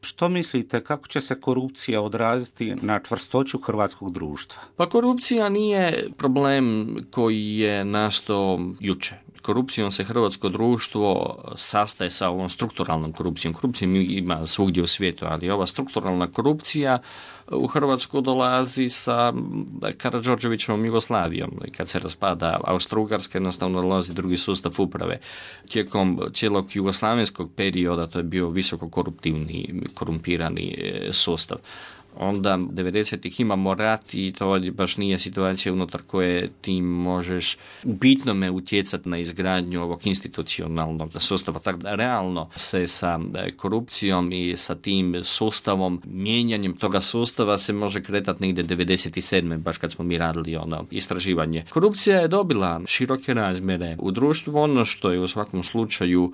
Što mislite, kako će se korupcija odraziti na čvrstoću hrvatskog društva? Pa korupcija nije problem koji je nastao jučer. Korupcijom se hrvatsko društvo sastaje sa ovom strukturalnom korupcijom. Korupcijom ima svugdje u svijetu, ali ova strukturalna korupcija u Hrvatsku dolazi sa Karađorđevićevom Jugoslavijom. Kad se raspada Austro-Ugarska, jednostavno dolazi drugi sustav uprave. Tijekom cijelog jugoslavenskog perioda to je bio visoko korumpirani sustav. Onda 90-ih imamo rat i to baš nije situacija unutar koje ti možeš u bitnome utjecati na izgradnju ovog institucionalnog sustava. Tako da realno se sa korupcijom i sa tim sustavom, mijenjanjem toga sustava se može kretati negdje 97. baš kad smo mi radili istraživanje. Korupcija je dobila široke razmjere u društvu, ono što je u svakom slučaju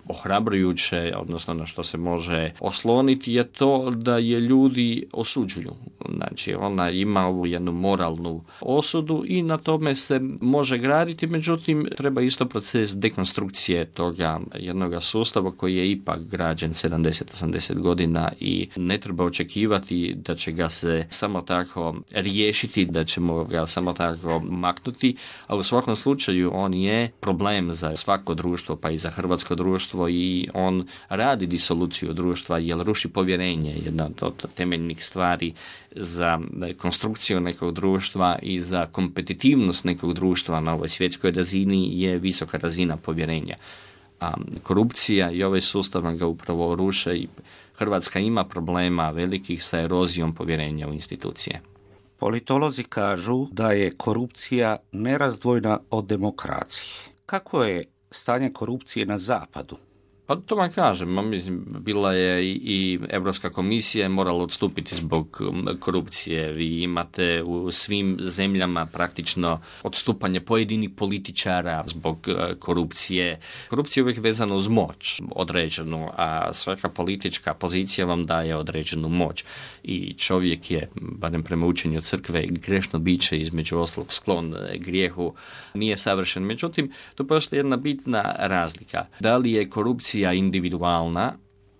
ohrabrujuće, odnosno na što se može osloniti, je to da je ljudi osuđuju. Znači, ona ima ovu jednu moralnu osudu i na tome se može graditi, međutim, treba isto proces dekonstrukcije toga jednog sustava koji je ipak građen 70-80 godina i ne treba očekivati da će ga se samo tako riješiti, da ćemo ga samo tako maknuti, a u svakom slučaju on je problem za svako društvo, pa i za hrvatsko društvo, i on radi disoluciju društva jer ruši povjerenje, jedna od temeljnih stvari za konstrukciju nekog društva i za kompetitivnost nekog društva na ovoj svjetskoj razini je visoka razina povjerenja. A korupcija i ovaj sustav ga upravo ruše i Hrvatska ima problema velikih sa erozijom povjerenja u institucije. Politolozi kažu da je korupcija nerazdvojna od demokracije. Kako je stanje korupcije na zapadu? Pa to vam kažem, mislim, bila je i Europska komisija morala odstupiti zbog korupcije. Vi imate u svim zemljama praktično odstupanje pojedinih političara zbog korupcije. Korupcija je uvijek vezana uz moć određenu, a svaka politička pozicija vam daje određenu moć. I čovjek je, barem prema učenju crkve, grešno biće, između ostalog sklon grijehu, nije savršen. Međutim, tu postoji jedna bitna razlika. Da li je korupcija individualna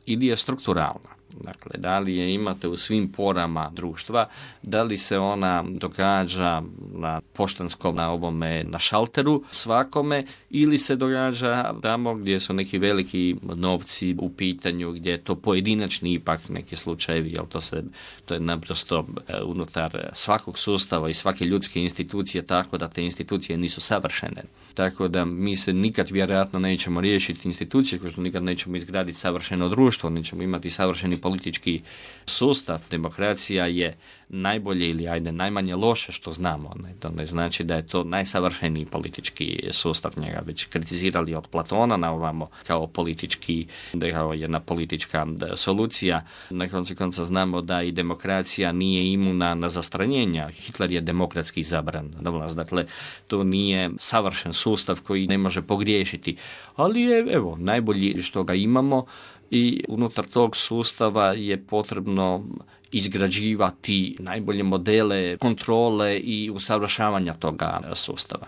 ili je strukturalna? Dakle, da li je imate u svim porama društva, da li se ona događa na poštanskom, na šalteru svakome, ili se događa tamo gdje su neki veliki novci u pitanju, gdje je to pojedinačni ipak neki slučajevi, jer to je naprosto unutar svakog sustava i svake ljudske institucije, tako da te institucije nisu savršene. Tako da mi se nikad vjerojatno nećemo riješiti institucije, kao što nikad nećemo izgraditi savršeno društvo, nećemo imati savršeni politički sustav. Demokracija je najbolje ili najmanje loše što znamo. To ne znači da je to najsavršeniji politički sustav. Njega već kritizirali od Platona na ovamo kao politički, kao jedna politička solucija. Na koncu konca znamo da i demokracija nije imuna na zastranjenja. Hitler je demokratski izabran na vlast. Dakle, to nije savršen sustav koji ne može pogriješiti. Ali je, najbolji što ga imamo i unutar tog sustava je potrebno izgrađivati najbolje modele kontrole i usavršavanja toga sustava.